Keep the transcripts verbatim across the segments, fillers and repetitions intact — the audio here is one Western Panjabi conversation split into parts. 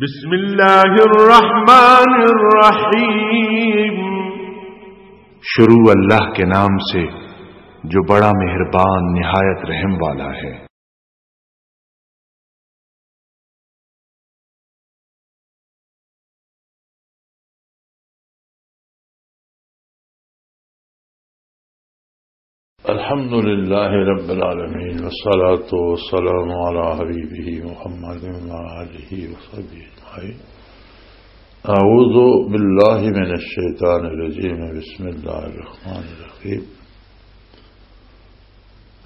بسم اللہ الرحمن الرحیم۔ شروع اللہ کے نام سے، جو بڑا مہربان، نہایت رحم والا ہے۔ الحمد لله رب العالمين، والصلاة والسلام على حبيبه محمد وعلى آله وصحبه أجمعين. أعوذ بالله من الشيطان الرجيم. بسم الله الرحمن الرحيم.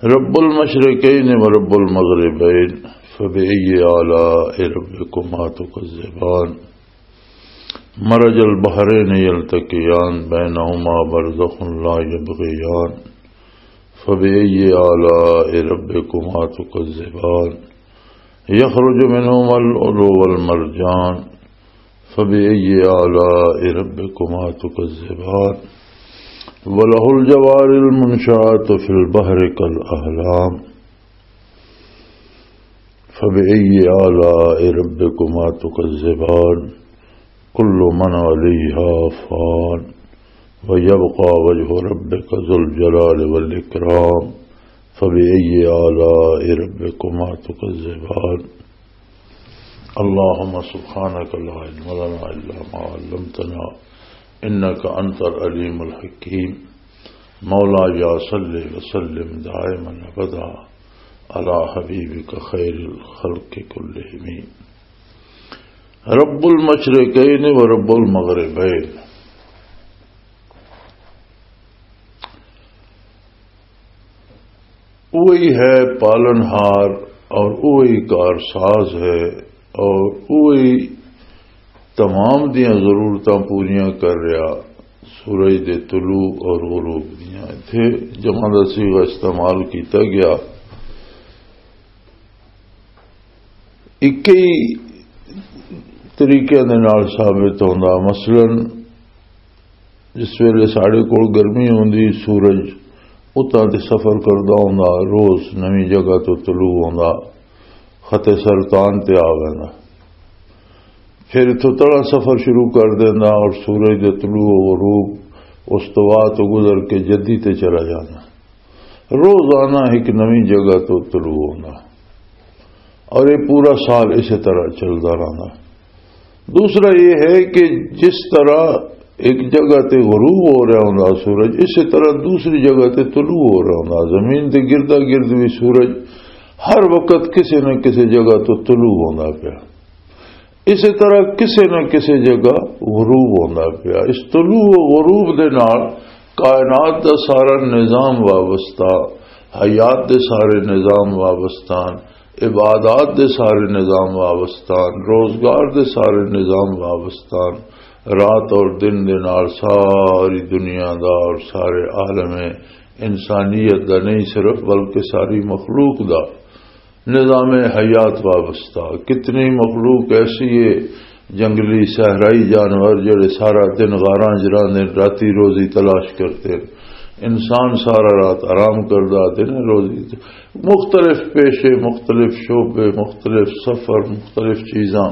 رب المشرقين ورب المغربين، فبأي آلاء ربكما تكذبان؟ مرج البحرين يلتقيان، بينهما برزخ لا يبغيان، فبأي آلاء ربكما تكذبان؟ يخرج منهما اللؤلؤ والمرجان، فبأي آلاء ربكما تكذبان؟ وله الجوار المنشآت في البحر كالأعلام، فبأي آلاء ربكما تكذبان؟ كل من عليها فان، ويبقى وجه ربك ذو الجلال والإكرام، فبأي آلاء ربكما تكذبان؟ اللهم سبحانك لا علم لنا إلا ما علمتنا، إنك أنت العليم الحكيم. مولاي صل وسلم دائما أبدا على حبيبك خير الخلق كلهم. رب المشرقين ورب المغربين۔ وہی ہے پالن ہار اور وہی کار ساز ہے اور وہی تمام دیاں ضرورتاں پوریاں کر رہا، سورج دے طلوع اور غروب دیاں۔ ایتھے جمع دا صیغہ استعمال کیتا گیا۔ اکئی طریقے دے نال ثابت ہوندا۔ مثلاً، جس ویلے ساڈے کول گرمی ہوندی، سورج اتاں تے سفر کردا ہوندا، روز نویں جگہ تو طلوع ہوندا، خط سرطان تے آ ویندا۔ پھر اتھوں تڑا سفر شروع کر دیندا اور سورج دے طلوع و غروب، استوا تو گزر کے جدی تے چلا جاندا۔ روزانہ ایک نویں جگہ تو طلوع ہوندا اور یہ پورا سال اسی طرح چلدا رہندا۔ دوسرا یہ ہے کہ جس طرح ایک جگہ تے غروب ہو رہا ہوندا سورج، اسی طرح دوسری جگہ تے طلوع ہو رہا ہوندا۔ زمین دے گردا گرد بھی سورج ہر وقت کسی نہ کسی جگہ تو طلوع ہوندا پیا، اسی طرح کسی نہ کسی جگہ غروب ہوندا پیا۔ اس طلوع و غروب دے نال کائنات دا سارا نظام وابستہ، حیات دے سارے نظام وابستان، عبادات دے سارے نظام وابستان، روزگار دے سارے نظام وابستان، رات اور دن دے نال ساری دنیا دا اور سارے عالم انسانیت دا نہیں صرف، بلکہ ساری مخلوق دا نظام حیات وابستہ۔ کتنی مخلوق ایسی ہے، جنگلی صحرائی جانور جڑے سارا دن غاراں چ رہندے، راتی روزی تلاش کرتے۔ انسان سارا رات آرام کردا، دن روزی۔ مختلف پیشے، مختلف شعبے، مختلف سفر، مختلف چیزاں،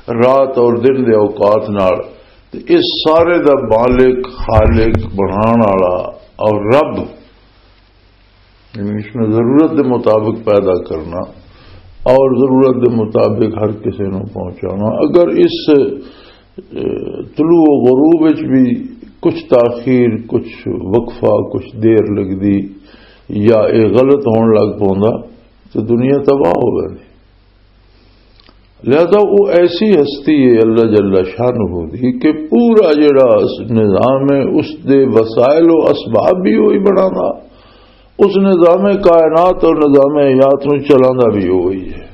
رات اور دن دے اوقات نال۔ تے اس سارے دا مالک، خالق، بنان والا اور رب، یعنی اس میں ضرورت دے مطابق پیدا کرنا اور ضرورت دے مطابق ہر کسی نو پہنچانا۔ اگر اس، اے، طلوع و غروب وچ بھی کچھ تاخیر، کچھ وقفہ، کچھ دیر لگدی یا اے غلط ہون لگ پوندا، تے دنیا تباہ ہو ویندی۔ لہذا وہ ایسی ہستی ہے اللہ جل شانہ دی کہ پورا جڑا نظام ہے، اس دے وسائل و اسباب بھی وہی بنانا، اس نظام کائنات اور نظام حیات نو چلانا بھی وہی ہے۔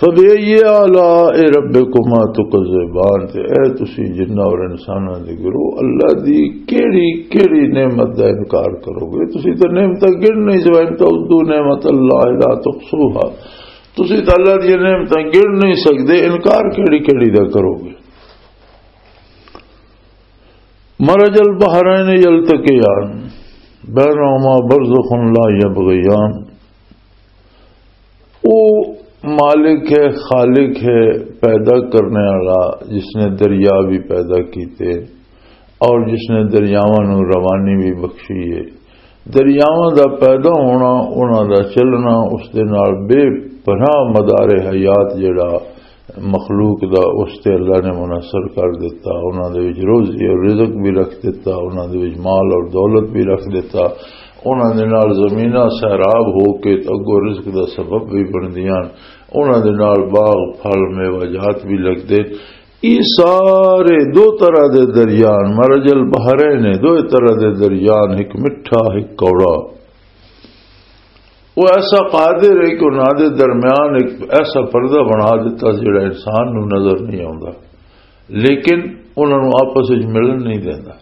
فبأي آلاء ربكما تكذبان، تے اے تسی جناں اور انساناں دے گروہ، اللہ دی کیڑی کیڑی نعمت دا انکار کرو گے؟ تسی تے نعمتاں گن نہیں سکدے، وَإِن تَعُدُّوا نِعْمَتَ اللَّهِ لَا تُحْصُوهَا، تسی تے اللہ دی نعمتاں گن نہیں سکدے، انکار کیڑی کیڑی دا کرو گے؟ مرج البحرین یلتقیان، بینہما برزخ لا یبغیان۔ او مالک ہے، خالق ہے، پیدا کرنے والا، جس نے دریا بھی پیدا کیتے اور جس نے دریاواں نوں روانی بھی بخشی ہے۔ دریاواں دا پیدا ہونا، انہاں دا چلنا، اس دے نال بے پناہ مدار حیات جڑا مخلوق دا، اس تے اللہ نے منحصر کر دیتا۔ انہاں دے وچ روزی اور رزق بھی رکھ دیتا، انہاں دے وچ مال اور دولت بھی رکھ دیتا۔ انہاں دے نال زمیناں سیراب ہو کے تے اگوں رزق دا سبب بھی بندیاں، انہاں دے نال باغ، پھل، میوہ جات بھی لگدے۔ یہ سارے دو طرح دے دریان، مرج البحرین، دو طرح دے دریان، ایک مٹھا، ایک کوڑا۔ وہ ایسا قادر ہے کہ انہاں دے درمیان ایک ایسا پردہ بنا دیتا جڑا انسان نو نظر نہیں آوندا، لیکن انہاں نو آپس وچ ملن نہیں دیندا۔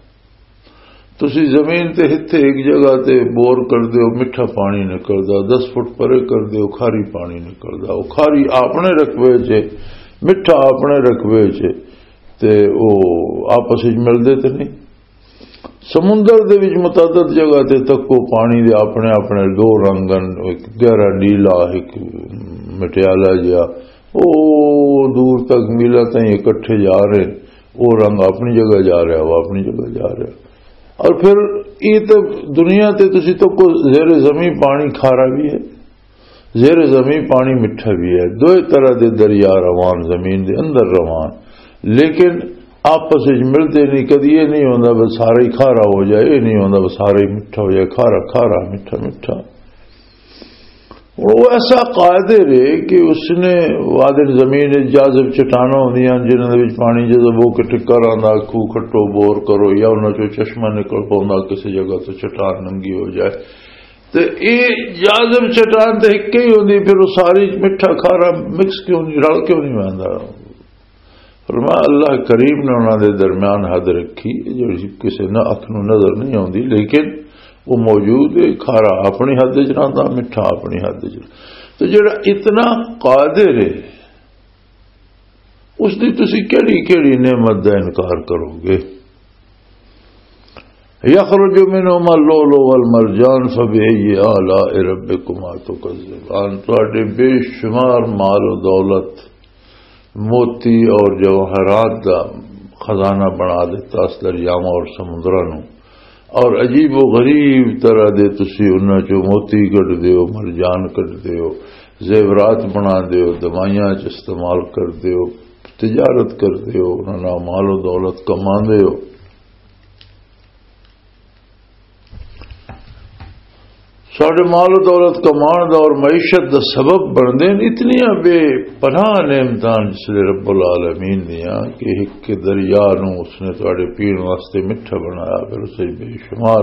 تسی زمین تے ہتھے ایک جگہ تے بور کر دیو، مٹھا پانی نکلدا، دس فٹ پرے کر دیو، کھاری پانی نکلدا۔ وہ کھاری اپنے رقبے چ، مٹھا اپنے رقبے چ، تے وہ آپس وچ ملدے تے نہیں۔ سمندر دے وچ متعدد جگہ تے تکو، پانی دے اپنے اپنے دو رنگ ہن، ایک گہرا نیلا، ایک مٹیالا جہا۔ او دور تک میلاں تائیں اکٹھے جا رہے، او رنگ اپنی جگہ جا رہا، وہ اپنی جگہ جا رہا۔ اور پھر یہ تو دنیا تے تسی تکو، زیر زمین پانی کھارا بھی ہے، زیر زمین پانی مٹھا بھی ہے۔ دوئے طرح دے دریا روان، زمین دے اندر روان، لیکن آپس وچ ملتے نہیں۔ کدی یہ نہیں ہوندا بس سارا ہی کھارا ہو جائے، یہ نہیں ہوندا بس سارا ہی مٹھا ہو جائے، کھارا کھارا، مٹھا مٹھا۔ ہن وہ ایسا قادر ہے کہ اس نے وادن زمین وچ جاذب چٹاناں ہوندیاں ہن، جنہاں دے وچ پانی جذب ہو کے ٹکر آندا، کھوہ کھٹو، بور کرو، یا انہاں چوں چشمہ نکل پوندا، کسی جگہ تو چٹان ننگی ہو جائے۔ تے اے جاذب چٹان تے ہک ہی ہوندی، پھر وہ ساری مٹھا کھارا مکس کیوں نہیں، رل کیوں نہیں ویندا؟ فرمایا، اللہ کریم نے انہاں دے درمیان حد رکھی، جو کسے نہ اکھ نوں نظر نہیں آوندی، لیکن وہ موجود ہے۔ کھارا اپنی حد وچ رہندا، مٹھا اپنی حد وچ۔ تو جڑا اتنا قادر ہے، اس دی تسی کیڑی کیڑی نعمت دا انکار کرو گے؟ یخرج منهما اللؤلؤ والمرجان فبأي آلاء ربكما تكذبان۔ تواڈے بے شمار مال و دولت، موتی اور جواہرات دا خزانہ بنا دیتا اس دریاواں اور سمندراں نوں، اور عجیب و غریب طرح دے تسی انہاں چوں موتی کڈ دیو، مرجان کڈ دیو، زیورات بنا دیو، دوائیاں چ استعمال کر دیو، تجارت کر دیو، انہاں نال مال و دولت کما دیو۔ ساڈے مال و دولت کمان دا اور معیشت دا سبب بندے نے اتنیاں بے پناہ نعمتاں جس لے رب العالمین دیاں کہ ایک دریا نو اس نے تواڈے پین واسطے مٹھا بنایا، پھر اسے بے شمار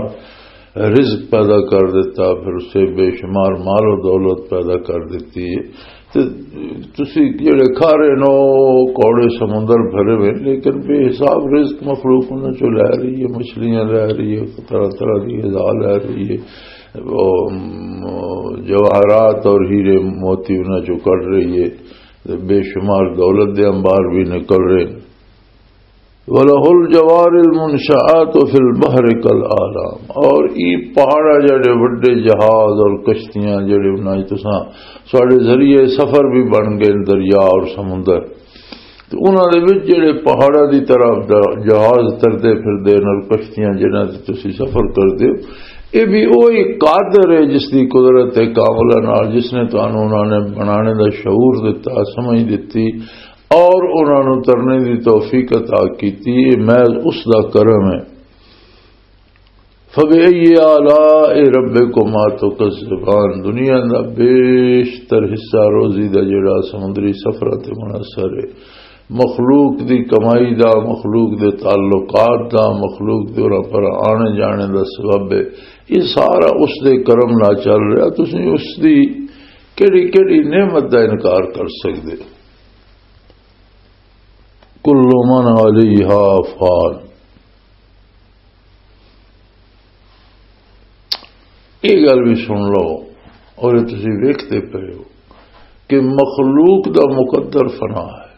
رزق پیدا کر دیتا، پھر اسے بے شمار مال و دولت پیدا کر دیتی ہے۔ تے تسی جڑے کھارے نو کوڑے سمندر بھرے ہوئے، لیکن بے حساب رزق مخلوق انہاں چوں لے رہی ہے، مچھلیاں لے رہی ہے، طرح طرح دی غذا لے رہی ہے، وہ، م، جواہرات اور ہیرے موتی انہاں چوں کڈ رہی ہے، تے بے شمار دولت دے انبار بھی نکل رہے ہیں۔ وَلَهُ الْجَوَارِ الْمُنْشَآتُ فِي الْبَحْرِ كَالْأَعْلَامِ۔ اور ای پہاڑا جڑے وڈے جہاز اور کشتیاں جڑے انہاں وچ تساں ساڈے ذریعے سفر بھی بن گئے دریا اور سمندر، تے انہاں دے وچ جڑے پہاڑاں دی طرف دا جہاز تردے پھردے اور کشتیاں جنہاں تے تسی سفر کردے ہو، اے بھی اوہی قادر ہے جس دی قدرت کاملہ نال جس نے تانوں انہاں نے بنانے دا شعور دتا، سمجھ دتی، اور انہاں نوں ترنے دی توفیق عطا کیتی، یہ محض اس دا کرم ہے۔ فَبِأَيِّ آلَاءِ رَبِّكُمَا تُكَذِّبَانِ۔ دنیا دا بیشتر حصہ روزی دا جڑا سمندری سفراں تے منحصر ہے، مخلوق دی کمائی دا، مخلوق دے تعلقات دا، مخلوق دے اوراں پر آنے جانے دا سبب ہے، یہ سارا اس دے کرم نال چل رہا۔ تسی اس دی کیڑی کیڑی نعمت دا انکار کر سکدے ہو؟ کل من علیہا فان۔ یہ گل بھی سن لو، اور یہ تسی ویکھتے پے ہو کہ مخلوق دا مقدر فنا ہے۔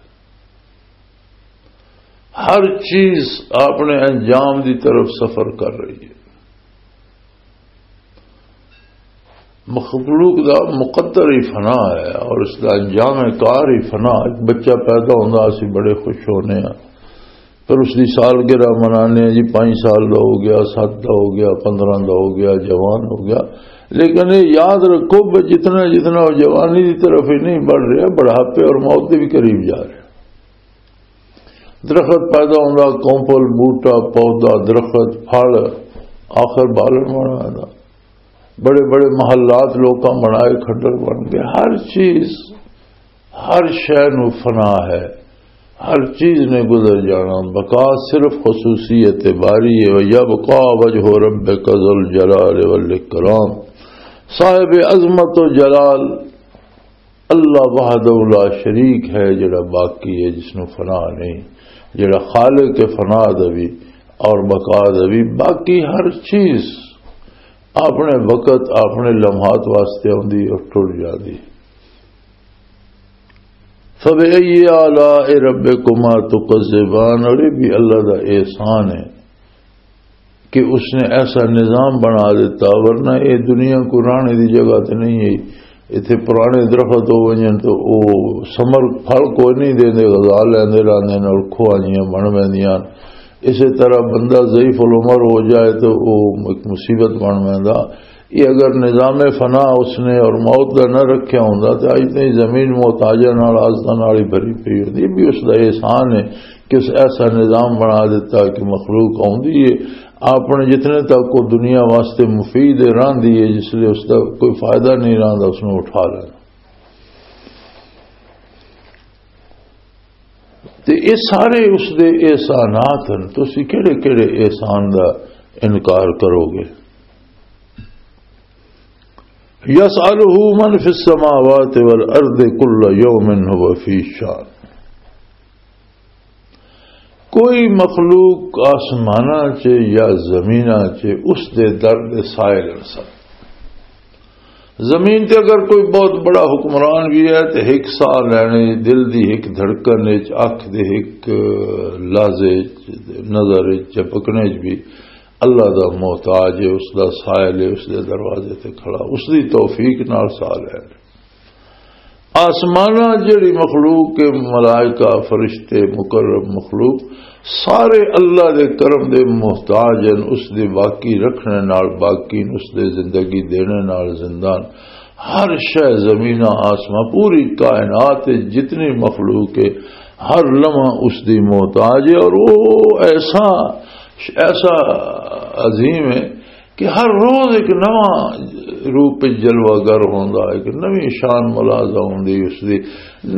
ہر چیز اپنے انجام دی طرف سفر کر رہی ہے۔ مخلوق دا مقدر ہی فنا ہے اور اس دا انجام کار ہی فنا۔ ایک بچہ پیدا ہوندا، اسی بڑے خوش ہونے ہاں، پر اس دی سالگرہ منانے ہاں جی، پانچ سال دا ہو گیا، سات دا ہو گیا، پندرہ دا ہو گیا، جوان ہو گیا۔ لیکن یہ یاد رکھو کہ جتنا جتنا وہ جوانی دی طرف ہی نہیں بڑھ رہا، بڑھاپے اور موت دے بھی قریب جا رہا۔ درخت پیدا ہوندا، کونپل، بوٹا، پودا، درخت، پھل، آخر بالن بن ویندا۔ بڑے بڑے محلات لوکاں بنائے، کھڈر بن گئے۔ ہر چیز، ہر شے نو فنا ہے، ہر چیز نے گزر جانا۔ بقا صرف خصوصیت باری ہے۔ وَيَبْقَى وَجْهُ رَبِّكَ ذُو الْجَلَالِ وَالْإِكْرَامِ۔ صاحب عظمت و جلال اللہ وحدہ لا شریک ہے، جڑا باقی ہے، جس نو فنا نہیں، جڑا خالق فنا دا بھی اور بقا دا بھی۔ باقی ہر چیز اپنے وقت، اپنے لمحات واسطے آندی اور ٹر جاندی۔ فَبِأَيِّ آلَاءِ رَبِّكُمَا تُكَذِّبَانِ، اور یہ بھی اللہ دا احسان ہے کہ اس نے ایسا نظام بنا دیتا، ورنہ یہ دنیا کو رانے دی جگہ تے نہیں ہے۔ اتھے پرانے درخت ہو ونجن تو او ثمر، پھل کوئی نہیں دیندے، غذا لیندے رہندے نے اور کھوانیاں بن ویندیاں۔ اسی طرح بندہ ضعیف العمر ہو جائے تو او ایک مصیبت بن ویندا۔ یہ اگر نظام فنا اس نے اور موت دا نہ رکھیا ہوندا تے اج تائیں زمین محتاجاں نال، آزتاں نال ہی بھری پئی ہوندی۔ یہ بھی اس دا احسان ہے کہ اس ایسا نظام بنا دیتا کہ مخلوق آوندی ہے، اپنے جتنے تک وہ دنیا واسطے مفید ہے راندی ہے، جس لئے اس دا کوئی فائدہ نہیں رہندا، اس نوں اٹھا لینا۔ تے یہ سارے اس دے احسانات ہیں۔ تسی کہڑے کہڑے احسان دا انکار کرو گے؟ يَسْأَلُهُ مَنْ فِي السَّمَاوَاتِ وَالْأَرْضِ كُلَّ يَوْمٍ هُوَ فِي شَأْنٍ۔ کوئی مخلوق آسماناں چ یا زمیناں چ اس دے در دے سائل ہن سن۔ زمین تے اگر کوئی بہت بڑا حکمران بھی ہے تے ہک ساہ لینے، دل دی ہک دھڑکن وچ، اکھ دے ہک لحظے وچ، نظر وچ جھپکنے وچ بھی اللہ دا محتاج ہے، اس دا سائل ہے، اس دے دروازے تے کھڑا، اس دی توفیق نال ساہ لینے۔ آسماناں جڑی مخلوق کے، ملائکہ، فرشتے، مقرب مخلوق، سارے اللہ دے کرم دے محتاج ہیں، اس دے باقی رکھنے نال باقی، اس دے زندگی دینے نال زندہ ہیں۔ ہر شے، زمیناں، آسمان، پوری کائنات وچ جتنی مخلوق ہے، ہر لمحہ اس دی محتاج ہے۔ اور وہ ایسا، ایسا عظیم ہے کہ ہر روز ایک نواں روپ وچ جلوہ گر ہوندا، ایک نویں شان ملاحظہ ہوندی اس دی۔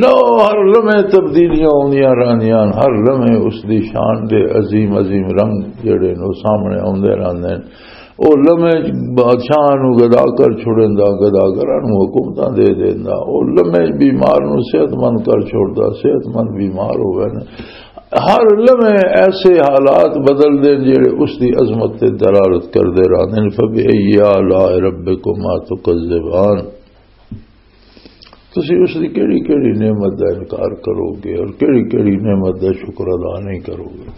نو، ہر لمحے تبدیلیاں ہوندیاں رہندیاں، ہر لمحے اس دی شان دے عظیم عظیم رنگ جڑے نے، او سامنے آوندے رہندے نے۔ او لمحے بادشاہ نو گدا کر چھڑیندا، گدا گراں نو حکومتاں دے دیندا۔ او لمحے بیمار نو صحت مند کر چھوڑدا، صحت مند بیمار ہوئے نے۔ ہر لمحے ایسے حالات بدل دے جڑے اس دی عظمت تے دلالت کردے رہندے نے۔ فَبِأَيِّ آلَاءِ رَبِّكُمَا تُكَذِّبَانِ۔ تسی اس دی کیڑی کیڑی نعمت دا انکار کرو گے اور کیڑی کیڑی نعمت دا شکر ادا نہیں کرو گے؟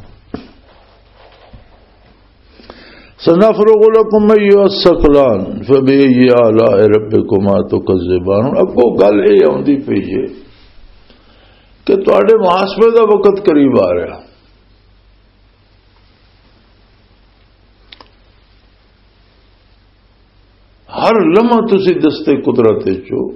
سنفرغ لکم ایھا الثقلان فبأی آلاء ربکما تکذبان۔ ہن اگوں گل اے آندی پئی ہے کہ تہاڈے محاسبے دا وقت قریب آ رہا۔ ہر لمحہ تسی دستے قدرت وچ ہو،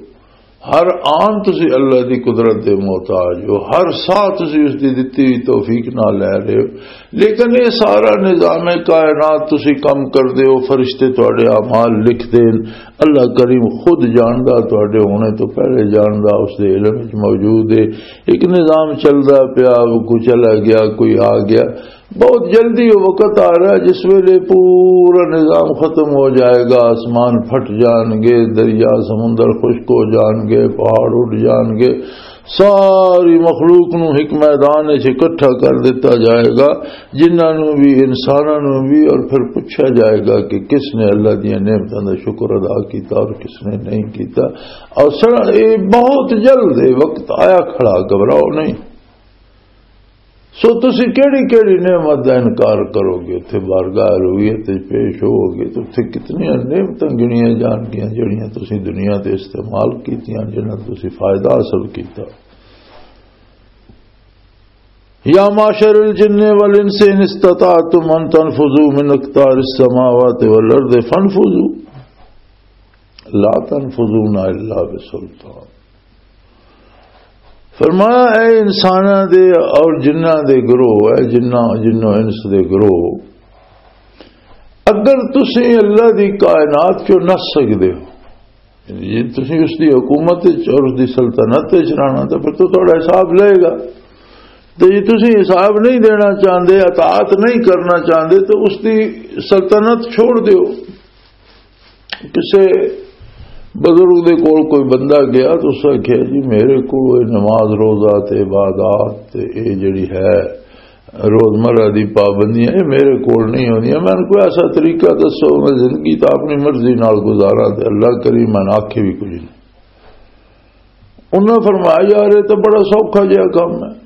ہر آن تسی اللہ دی قدرت دے محتاج ہو، ہر ساہ تسی اس دی دتی ہوئی توفیق نال لے رہے ہو۔ لیکن یہ سارا نظام کائنات تسی کم کر دے ہو، فرشتے تہاڈے اعمال لکھ دین، اللہ کریم خود جاندا، تہاڈے ہونے تو پہلے جاندا، اس دے علم وچ موجود ہے۔ ایک نظام چلدا پیا، کوئی چلا گیا، کوئی آ گیا، بہت جلدی وہ وقت آ رہا ہے جس ویلے پورا نظام ختم ہو جائے گا، آسمان پھٹ جان گے، دریا سمندر خشک ہو جان گے، پہاڑ اڈ جان گے، ساری مخلوق نو ایک میدان وچ اکٹھا کر دیتا جائے گا، جنہاں نو بھی، انساناں نو بھی، اور پھر پوچھا جائے گا کہ کس نے اللہ دیاں نعمتاں دا شکر ادا کیتا اور کس نے نہیں کیتا۔ اور سر، یہ بہت جلد ہے، وقت آیا کھڑا، گھبراؤ نہیں۔ سو تسی کیڑی کیڑی نعمت دا انکار کرو گے؟ اتھے بارگاہ الوہیت وچ پیش ہوو گے تو اتھے کتنی نعمتاں گنیاں جان گیاں جڑیاں تسی دنیا تے استعمال کیتیاں، جنہاں تسی فائدہ حاصل کیتا۔ یا معشر الجن والانس ان استطعتم ان تنفذوا من اقطار السماوات والارض فانفذوا لا تنفذون الا بسلطان۔ فرمایا، اے انساناں دے اور جناں دے گروہ، اے جناں، جنوں انس دے گروہ، اگر تسی اللہ دی کائنات چوں نس سکدے ہو، یعنی جے تسی اس دی حکومت وچ اور اس دی سلطنت وچ رہنا، تو پھر تو تہاڈا حساب لے گا۔ تے جے تسی حساب نہیں دینا چاہندے، اطاعت نہیں کرنا چاہندے، تو اس دی سلطنت چھوڑ دیو۔ کسے بزرگ دے کول کوئی بندہ گیا تو اس آکھیا، "جی، میرے کول اے نماز، روزہ تے عبادات تے اے جڑی ہے روزمرہ دی پابندیاں، اے میرے کول نہیں ہوندیاں، مینوں کوئی ایسا طریقہ دسو، میں زندگی تاں اپنی مرضی نال گزاراں تے اللہ کریم مینوں آکھے بھی کچھ نہیں۔" انہاں فرمایا، "یار، اے تاں بڑا سوکھا جہا کم ہے۔"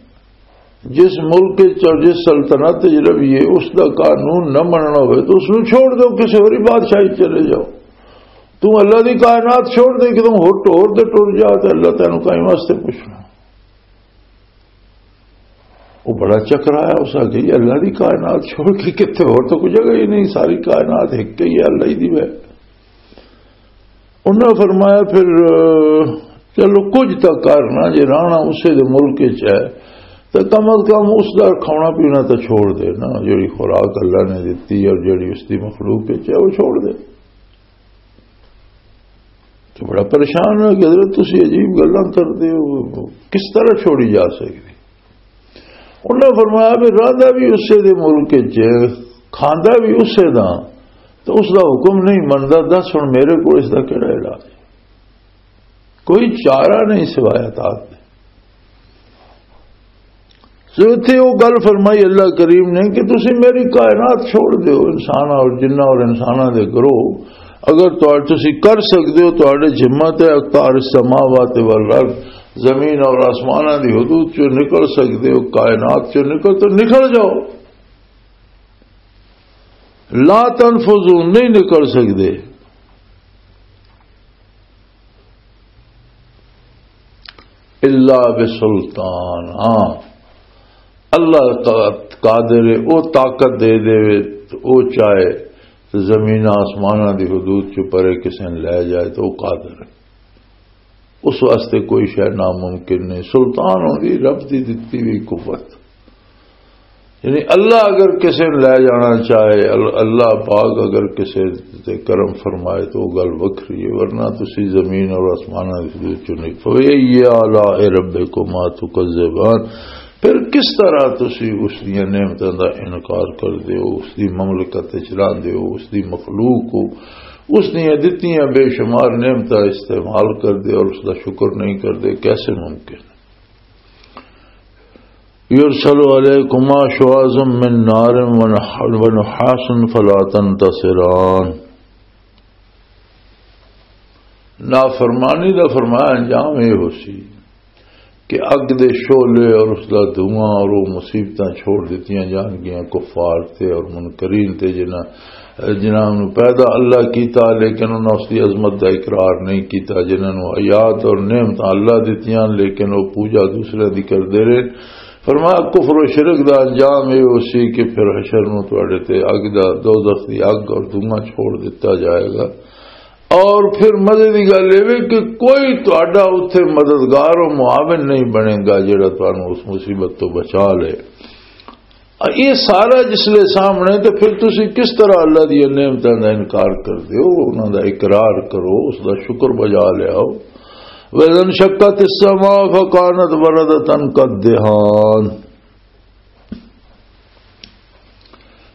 جس ملک وچ اور جس سلطنت وچ رہیے، اس دا قانون نہ مننا ہوئے تو اس نوں چھوڑ دو، کسی ہوری بادشاہی چلے جاؤ۔ تو اللہ دی کائنات چھوڑ دے، کدوں ہٹ ہور تے ٹر جا تے اللہ تینوں کہیں واسطے پوچھنا۔ وہ بڑا چکرایا، اس آکھیا، "یہ اللہ دی کائنات چھوڑ کے کتھے ہور تو کوئی جگہ ہی نہیں، ساری کائنات ایک ہی ہے، اللہ ہی دی ہے۔" انہاں فرمایا، "پھر، اہ، چلو کچھ تاں کرنا، جے رانا اسے دے ملک وچ ہے، تے کم از کم اس دا کھانا پینا تاں چھوڑ دے نا، جڑی خوراک اللہ نے دتی اور جڑی اس دی مخلوق وچ ہے، وہ چھوڑ دے۔" تو بڑا پریشان ہویا کہ حضرت، تسی عجیب گلاں کردے ہو، کس طرح چھوڑی جا سکدی؟ انہاں فرمایا، "بھی رہندا بھی اسے دے ملک وچ، کھاندا بھی اسے دا، تو اس دا حکم نہیں مندا، دس ہن میرے کول اس دا کیڑا علاج ہے؟ کوئی چارہ نہیں سوائے اطاعت دے۔" سو اتھے وہ گل فرمائی اللہ کریم نے کہ تسی میری کائنات چھوڑ دیو، انسان اور جنہ اور انساناں دے گروہ، اگر تہاڈے، تسی کر سکدے ہو، تہاڈے ذمہ تے اقطار السماوات والارض، زمین اور آسماناں دی حدود چوں نکل سکدے ہو، کائنات چوں نکل تو نکل جاؤ۔ لا تنفذون، نہیں نکل سکدے۔ الا بسلطان، ہاں، اللہ قا-، قادر ہے، او طاقت دے دے، او چاہے تے زمین آسماناں دی حدود چوں پرے کسے نے لے جائے تو او قادر ہے۔ اس واسطے کوئی شے ناممکن نہیں۔ سلطان ہوندی رب دی دتی ہوئی قوت۔ یعنی اللہ اگر کسے نے لے جانا چاہے، ال-، اللہ پاک اگر کسے تے کرم فرمائے تو وہ گل وکھری ہے، ورنہ تسی زمین اور آسماناں دی حدود چوں نہیں۔ فَبِأَيِّ آلَاءِ رَبِّكُمَا تُكَذِّبَانِ، پھر کس طرح تسی اس دیاں نعمتاں دا انکار کر دیو، اس دی مملکت وچ رہندے ہو، اس دی مخلوق ہو، اس دیاں دتیاں بے شمار نعمتاں استعمال کر دے اور اس دا شکر نہیں کر دے، کیسے ممکن؟ يُرْسَلُ عَلَيْكُمَا شُوَاظٌ مِّن نَّارٍ وَنُحَاسٌ فَلَا تَنتَصِرَانِ۔ نافرمانی دا فرمایا انجام یہ ہو سی کہ اگ دے شعلے اور اس دا دھواں اور وہ مصیبتاں چھوڑ دتیاں جان گیاں کفار تے اور منکرین تے، جنہاں، جنہاں نوں پیدا اللہ کیتا لیکن انہاں اس دی عظمت دا اقرار نہیں کیتا، جنہاں نوں حیات اور نعمتاں اللہ دتیاں لیکن وہ پوجا دوسرے دی کردے رہے۔ فرمایا، کفر و شرک دا انجام یہ ہو سی کہ پھر حشر نوں تواڈے تے اگ دا، دوزخ دی اگ اور دھواں چھوڑ دتا جائے گا۔ اور پھر مزے دی گل یہ وی کہ کوئی تہاڈا اتھے مددگار و معاون نہیں بنے گا جڑا تانوں اس مصیبت تو بچا لے۔ یہ سارا جس لے سامنے، تو پھر تسی کس طرح اللہ دی نعمتاں دا انکار کر دیو؟ انہاں دا اقرار کرو، اس دا شکر بجا لیاؤ۔ وَإِذَا انشَقَّتِ السَّمَاءُ فَكَانَتْ وَرْدًا كَالدِّهَانِ،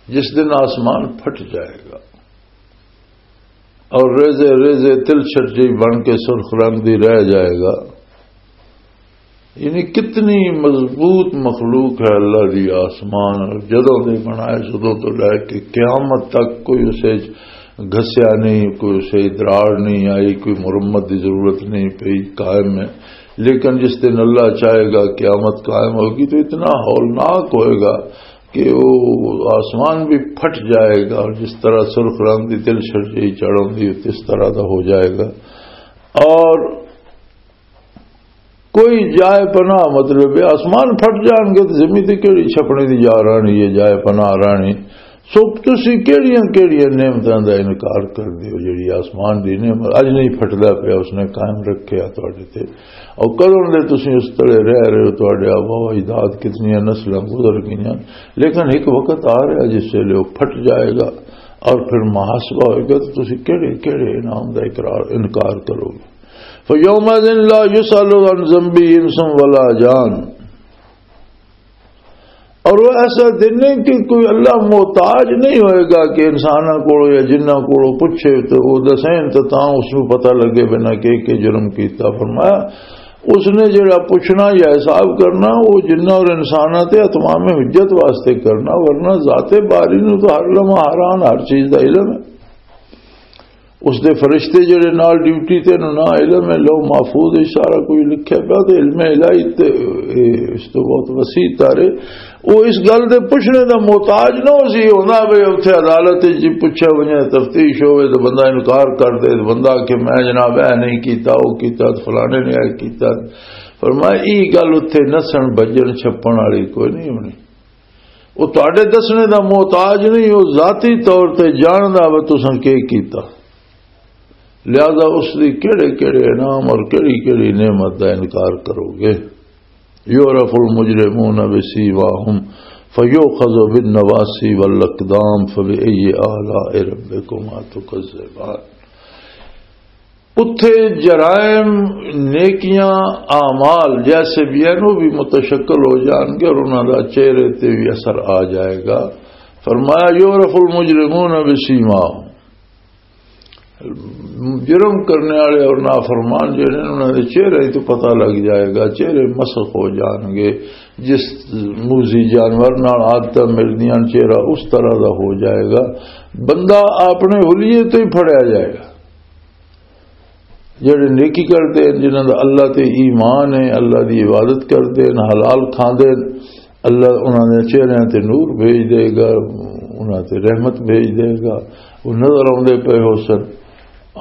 جس دن آسمان پھٹ جائے گا اور ریزے ریزے تل چھٹ جئی بن کے سرخ رنگ دی رہ جائے گا۔ یعنی کتنی مضبوط مخلوق ہے اللہ دی۔ آسمان جدوں دے بنائے، سدوں تو لے کے قیامت تک کوئی اسے گھسیا نہیں، کوئی اسے دراڑ نہیں آئی، کوئی مرمت دی ضرورت نہیں پئی، قائم ہے۔ لیکن جس دن اللہ چاہے گا، قیامت قائم ہوگی، تو اتنا ہولناک ہوئے گا کہ وہ آسمان بھی پھٹ جائے گا، اور جس طرح سرخ رنگ دی تل چھڑ جائی چڑھ ہوندی، اس طرح دا ہو جائے گا۔ اور کوئی جائے پناہ، مطلب ہے، آسمان پھٹ جان گے تو زمین تے کیڑی چھپنے دی جا رہنی ہے، جائے پناہ رہنی۔ سو تسی کیڑیاں کیڑیاں نعمتاں دا انکار کر دیو، جڑی آسمان دی نعمت اج نہیں پھٹدا پیا، اس نے قائم رکھیا تواڈے تے۔ اور کدوں دے تسی اس تلے رہ رہے ہو، تواڈے آبا و اجداد کتنیاں نسلاں گزر گئیاں، لیکن ایک وقت آ رہا جس ویلے وہ پھٹ جائے گا اور پھر محاسبہ ہوئے گا، تو تسی کیڑے کیڑے انعام دا اقرار، انکار کرو گے؟ فَيَوْمَئِذٍ لَا يُسْأَلُ عَنْ ذَنْبِهِ إِنْسٌ وَلَا جَانٌ۔ اور وہ ایسا دن ہے کہ کوئی اللہ محتاج نہیں ہوئے گا کہ انساناں کولوں یا جنہاں کولوں پوچھے تو وہ دسیں تو تاں اس نوں پتہ لگے بنا کہ کہ جرم کیتا۔ فرمایا، اس نے جڑا پوچھنا یا حساب کرنا، وہ جنہاں اور انساناں تے اتمام حجت واسطے کرنا، ورنہ ذات باری نوں تو ہر لمحہ حیران، ہر چیز دا علم ہے۔ اس دے فرشتے جڑے نال ڈیوٹی تے نوں نہ، علم ہے، لوح محفوظ وچ سارا کچھ لکھیا پیا، تے علم الہی تے، اے، اس تو بہت وسیع تارے۔ وہ اس گل دے پوچھنے دا محتاج نہ ہو سی، ہوندا بھی اتھے عدالت وچ جی پوچھا ونجے، تفتیش ہوئے تو بندہ انکار کر دے، تو بندہ کہ میں جناب اے نہیں کیتا، وہ کیتا، تو فلانے نے اے کیتا۔ فرمایا، ای گل اتھے نسن بجن چھپن والی کوئی نہیں ہونی۔ وہ تواڈے دسنے دا محتاج نہیں، وہ ذاتی طور تے جاندا وا تساں کی کیتا۔ لہذا اس دی کیڑے کیڑے انعام اور کیڑی کیڑی نعمت دا انکار کرو گے؟ یعرف المجرمون بسیماہم فیؤخذ بالنواصی والاقدام فبأی آلاء ربکما تکذبان۔ اتھے جرائم، نیکیاں، اعمال جیسے بھی ہیں، وہ بھی متشکل ہو جان گے اور انہاں دا چہرے تے بھی اثر آ جائے گا۔ فرمایا، یعرف المجرمون بسیماہم، جرم کرنے والے اور نافرمان جڑے ہیں، انہاں دے چہرے تو پتہ لگ جائے گا، چہرے مسخ ہو جان گے۔ جس موزی جانور نال عادتاں ملدیاں، چہرہ اس طرح دا ہو جائے گا، بندہ اپنے حلیے تو ہی پھڑیا جائے گا۔ جڑے نیکی کردے ہیں، جنہاں دا اللہ تے ایمان ہے، اللہ دی عبادت کردے ہیں، حلال کھاندے ہیں، اللہ انہاں دے چہریاں تے نور بھیج دے گا، انہاں تے رحمت بھیج دے گا، وہ نظر آوندے پئے ہو سن۔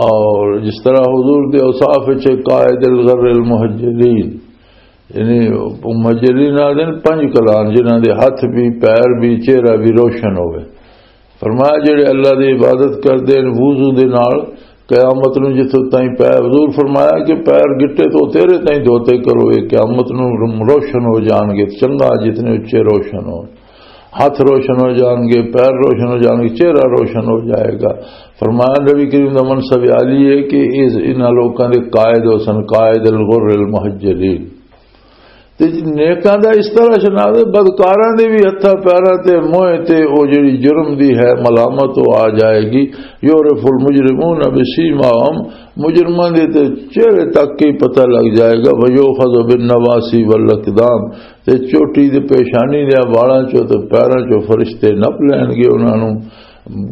اور جس طرح حضور دے اوصاف وچ قائد الغر المحجلین، یعنی مجرین آدھے نے پنج کلان، جنہاں دے ہاتھ بھی، پیر بھی، چہرہ بھی روشن ہوئے۔ فرمایا، جڑے اللہ دی عبادت کردے نے وضو دے نال، قیامت نوں جتھوں تائیں پیر، حضور فرمایا کہ پیر گٹے تو تیرے تائیں دھوتے کرو، یہ قیامت نوں روشن ہو جان گے، چنگا جتنے اچے روشن ہو، ہاتھ روشن ہو جان گے، پیر روشن ہو جان گے، چہرہ روشن ہو جائے گا۔ فرمایا، نبی کریم دا منصب عالی ہے کہ اس، انہاں لوکاں دے قائد ہو سن، قائد الغر المحجلین۔ تے نیکاں دا اس طرح شناس ہے، بدکاراں دے بھی ہتھاں پیراں تے موئے تے او جڑی جرم دی ہے ملامت، او آ جائے گی۔ یعرف المجرمون بسیماہم، مجرماں دے تے چہرے تک ہی پتہ لگ جائے گا۔ ویؤخذ بالنواصی والاقدام، تے چوٹی دے پیشانی دے والاں چوں تے پیراں چوں فرشتے نپ لین گے انہاں نوں۔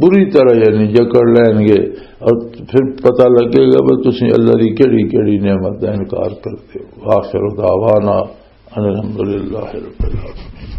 بری طرح یعنی جکڑ لین گے، اور پھر پتہ لگے گا کہ تسی اللہ دی کیڑی کیڑی نعمت دا انکار کرتے ہو۔ آخر دعوانا ان الحمدللہ رب العالمین۔